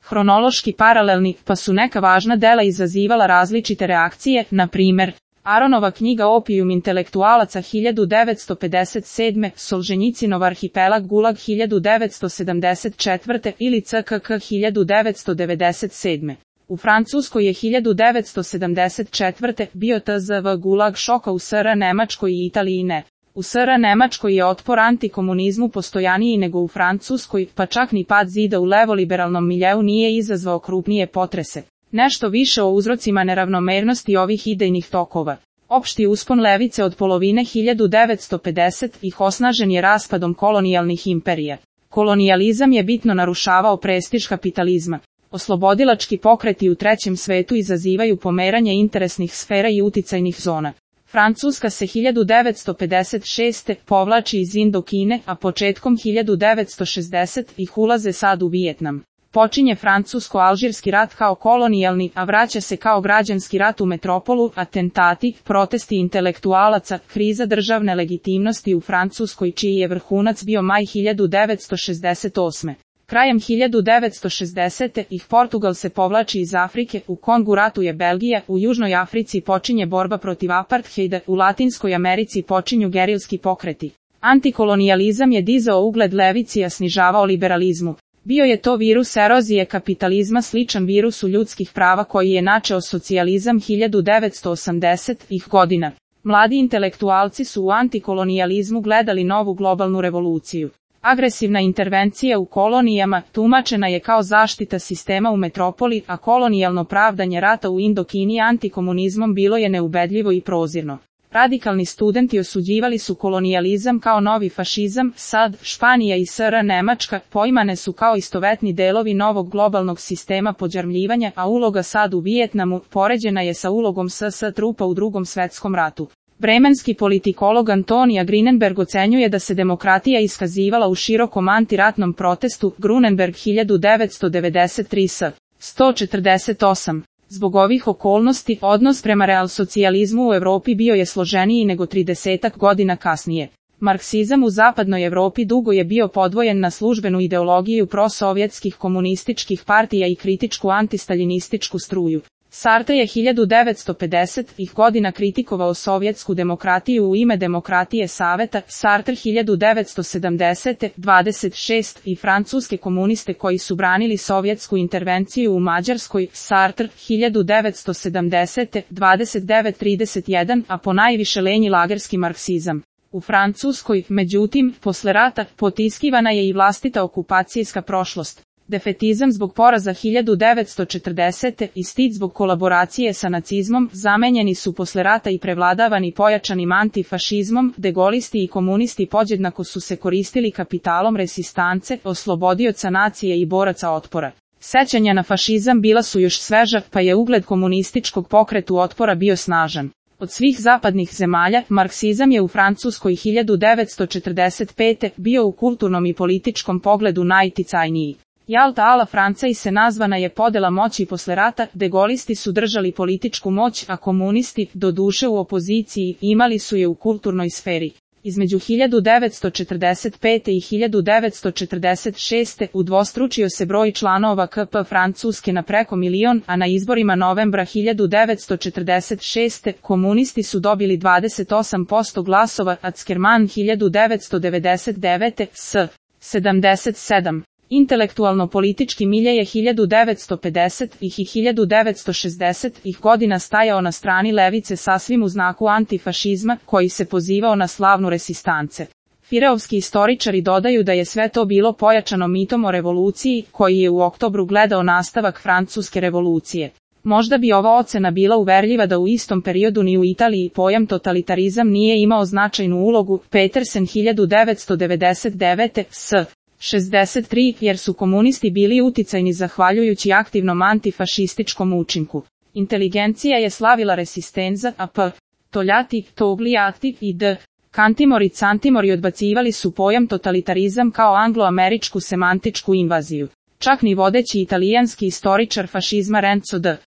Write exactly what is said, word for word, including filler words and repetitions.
hronološki paralelni, pa su neka važna dela izazivala različite reakcije, na primer, Aronova knjiga Opijum intelektualaca hiljadu devetsto pedeset sedme, Solženjicinov arhipelag Gulag hiljadu devetsto sedamdeset četvrte ili C K K hiljadu devetsto devedeset sedme. U Francuskoj je hiljadu devetsto sedamdeset četvrte bio T Z V Gulag šoka, u S R Nemačkoj i Italiji ne. U S R Nemačkoj je otpor antikomunizmu postojaniji nego u Francuskoj, pa čak ni pad zida u levoliberalnom miljeu nije izazvao krupnije potrese. Nešto više o uzrocima neravnomernosti ovih idejnih tokova. Opšti uspon levice od polovine hiljadu devetsto pedesetih osnažen je raspadom kolonijalnih imperija. Kolonijalizam je bitno narušavao prestiž kapitalizma. Oslobodilački pokreti u trećem svetu izazivaju pomeranje interesnih sfera i uticajnih zona. Francuska se hiljadu devetsto pedeset šeste povlači iz Indokine, a početkom hiljadu devetsto šezdesetih ulaze sad u Vijetnam. Počinje francusko-alžirski rat kao kolonijalni, a vraća se kao građanski rat u metropolu, atentati, protesti intelektualaca, kriza državne legitimnosti u Francuskoj čiji je vrhunac bio maj hiljadu devetsto šezdeset osme. Krajem hiljadu devetsto šezdesetih Portugal se povlači iz Afrike, u Kongu ratuje Belgija, u Južnoj Africi počinje borba protiv apartheida, u Latinskoj Americi počinju gerilski pokreti. Antikolonijalizam je dizao ugled levici, a snižavao liberalizmu. Bio je to virus erozije kapitalizma sličan virusu ljudskih prava koji je načeo socijalizam hiljadu devetsto osamdesetih godina. Mladi intelektualci su u antikolonijalizmu gledali novu globalnu revoluciju. Agresivna intervencija u kolonijama tumačena je kao zaštita sistema u metropoli, a kolonijalno pravdanje rata u Indokini antikomunizmom bilo je neubedljivo i prozirno. Radikalni studenti osuđivali su kolonijalizam kao novi fašizam, sad, Španija i S R Nemačka poimane su kao istovetni delovi novog globalnog sistema podjarmljivanja, a uloga sad u Vijetnamu poređena je sa ulogom S S trupa u Drugom svetskom ratu. Bremenski politikolog Antonija Grunenberg ocenjuje da se demokratija iskazivala u širokom antiratnom protestu, Grunenberg hiljadu devetsto devedeset tri s. sto četrdeset osam. Zbog ovih okolnosti, odnos prema realsocijalizmu u Evropi bio je složeniji nego tridesetak godina kasnije. Marksizam u zapadnoj Evropi dugo je bio podvojen na službenu ideologiju prosovjetskih komunističkih partija i kritičku antistaljinističku struju. Sartre je hiljadu devetsto pedesetih godina kritikovao sovjetsku demokratiju u ime demokratije Saveta, Sartre hiljadu devetsto sedamdesete dvadeset šest i francuske komuniste koji su branili sovjetsku intervenciju u Mađarskoj, Sartre hiljadu devetsto sedamdesete dvadeset devet trideset jedan, a ponajviše lenji lagerski marksizam. U Francuskoj, međutim, posle rata, potiskivana je i vlastita okupacijska prošlost. Defetizam zbog poraza hiljadu devetsto četrdesete i stid zbog kolaboracije sa nacizmom zamenjeni su posle rata i prevladavani pojačanim antifašizmom, degolisti i komunisti podjednako su se koristili kapitalom resistance, oslobodioca nacije i boraca otpora. Sećanja na fašizam bila su još sveža, pa je ugled komunističkog pokretu otpora bio snažan. Od svih zapadnih zemalja, marksizam je u Francuskoj hiljadu devetsto četrdeset pete bio u kulturnom i političkom pogledu najticajniji. Jalta a la Franca i se nazvana je podela moći posle rata, degolisti su držali političku moć, a komunisti, doduše u opoziciji, imali su je u kulturnoj sferi. Između hiljadu devetsto četrdeset pete i hiljadu devetsto četrdeset šeste udvostručio se broj članova K P Francuske na preko milion, a na izborima novembra hiljadu devetsto četrdeset šeste komunisti su dobili dvadeset osam posto glasova, a Ackermann hiljadu devetsto devedeset devete s. sedamdeset sedam. Intelektualno-politički milje je hiljadu devetsto pedesetih i hiljadu devetsto šezdesetih godina stajao na strani levice sasvim u znaku antifašizma, koji se pozivao na slavnu resistance. Fireovski istoričari dodaju da je sve to bilo pojačano mitom o revoluciji, koji je u oktobru gledao nastavak francuske revolucije. Možda bi ova ocena bila uverljiva da u istom periodu ni u Italiji pojam totalitarizam nije imao značajnu ulogu, Petersen hiljadu devetsto devedeset devete s. šezdeset tri, jer su komunisti bili uticajni zahvaljujući aktivnom antifašističkom učinku. Inteligencija je slavila resistenza, a p. Toljati, Togliati i d. Kantimori Cantimori odbacivali su pojam totalitarizam kao anglo-američku semantičku invaziju. Čak ni vodeći italijanski istoričar fašizma Renzo D.